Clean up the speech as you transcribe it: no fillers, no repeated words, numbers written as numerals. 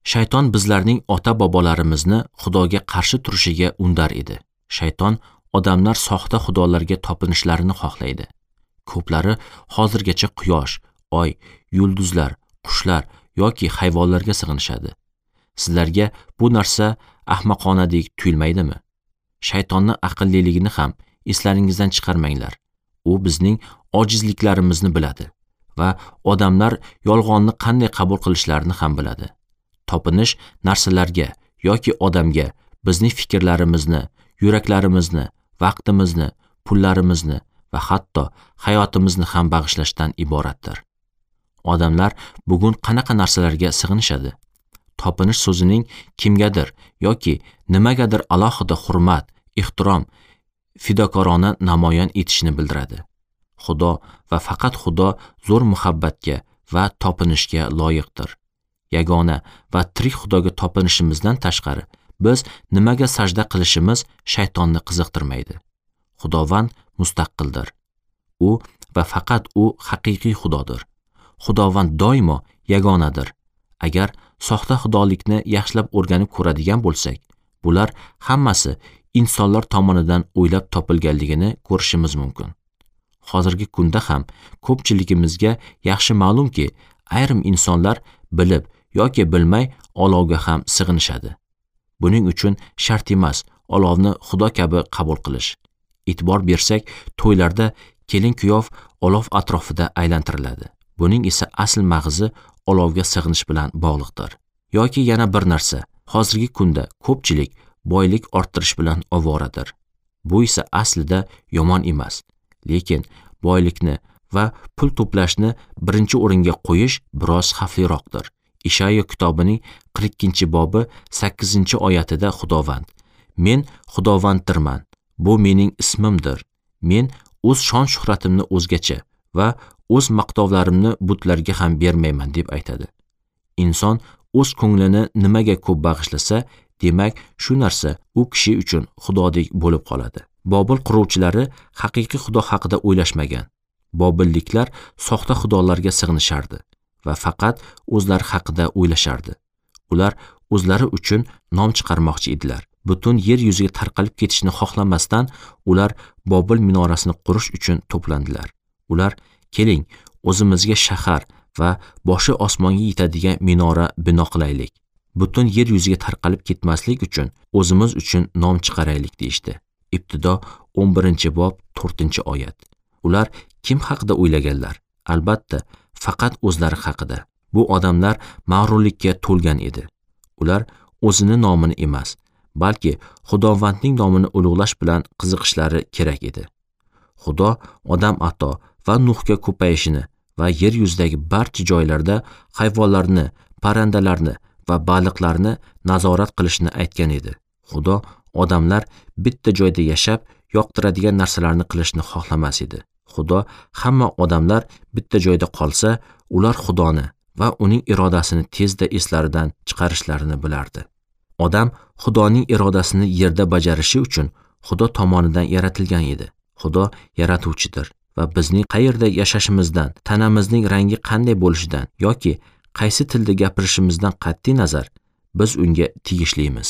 Shayton bizlarning ota-bobolarimizni Xudoga qarshi turishiga undar edi. Shayton odamlar soxta xudolarga topinishlarini xohlaydi. Ko'plari hozirgacha quyosh, oy, yulduzlar, qushlar yoki hayvonlarga sig'inishadi. Sizlarga bu narsa ahmoqonadek tuyulmaydimi? Shaytonning aqlliligini ham eslaringizdan chiqarmanglar. U bizning ojizliklarimizni biladi va odamlar yolg'onni qanday qabul qilishlarini ham biladi. Topinish narsalarga yoki odamga bizning fikrlarimizni, yuraklarimizni, vaqtimizni, pullarimizni va hatto hayotimizni ham bag'ishlashdan iboratdir. Odamlar bugun qanaqa narsalarga sig'inishadi? Topinish so'zining kimgadir yoki nimagadir alohida hurmat, ehtirom, fidokorona namoyon etishni bildiradi. Xudo va faqat Xudo zo'r muhabbatga va topinishga loyiqdir. Yagona va tirik Xudoga topinishimizdan tashqari biz nimaga sajda qilishimiz shaytonni qiziqtirmaydi. Xudovand mustaqildir. U va faqat u haqiqiy Xudodir. Xudovand doimo yagonadir. Agar soxta xudolikni yaxshilab o'rganib ko'radigan bo'lsak, bular hammasi insonlar tomonidan o'ylab topilganligini ko'rishimiz mumkin. Hozirgi kunda ham ko'pchiligimizga yaxshi ma'lumki, ayrim insonlar bilib yoki bilmay olovga ham sig'inishadi. Buning uchun shart emas olovni xudo kabi qabul qilish. E'tibor bersak, to'ylarda kelin-kuyov olov atrofida aylantiriladi. Buning esa asl mag'zi olovga sig'inish bilan bog'liqdir. Yoki yana bir narsa, hozirgi kunda ko'pchilik boylik orttirish bilan ovoradir. Bu esa aslida yomon emas, lekin boylikni va pul to'plashni birinchi o'ringa qo'yish biroz xavfliroqdir. Ishayo kitobining 42-bobi 8-oyatida Xudovand: Men Xudovanddirman, bu mening ismimdir. Men o'z shon-shuhratimni o'zgacha va o'z maqtovlarimni butlarga ham bermayman, deb aytadi. Inson o'z ko'nglini nimaga ko'p bag'ishlasa, demak, shu narsa u kishi uchun xudodek bo'lib qoladi. Bobil quruvchilari haqiqiy xudo haqida o'ylashmagan. Bobilliklar soxta xudolarga sig'inishardi va faqat o'zlari haqida o'ylashardi. Ular o'zlari uchun nom chiqarmoqchi edilar. Butun yer yuziga tarqalib ketishni xohlamasdan ular Bobil minorasini qurish uchun to'plandilar. Ular: "Keling, o'zimizga shahar va boshi osmonga yetadigan minora bino qilaylik. Butun yer yuziga tarqalib ketmaslik uchun o'zimiz uchun nom chiqaraylik" deyishdi. Ibtido 11-bob 4-oyat. Ular kim haqida o'ylaganlar? Albatta, faqat o'zlari haqida. Bu odamlar mag'rurlikka to'lgan edi. Ular o'zini nomini emas, balki Xudovandning nomini ulug'lash bilan qiziqishlari kerak edi. Xudo odam ato va Nuhga ko'payishini va yer yuzidagi barcha joylarda hayvonlarni, parrandalarni va baliqlarni nazorat qilishni aytgan edi. Xudo odamlar bitta joyda yashab, yoqtiradigan narsalarni qilishni xohlamas edi. Xudo hamma odamlar bitta joyda qolsa, ular Xudoni va uning irodasini tezda eslaridan chiqarishlarini bilardi. Odam Xudoning irodasini yerda bajarishi uchun Xudo tomonidan yaratilgan edi. Xudo yaratuvchidir va bizning qayerda yashashimizdan, tanamizning rangi qanday bo'lishidan yoki qaysi tilda gapirishimizdan qat'iy nazar biz unga tegishlimiz.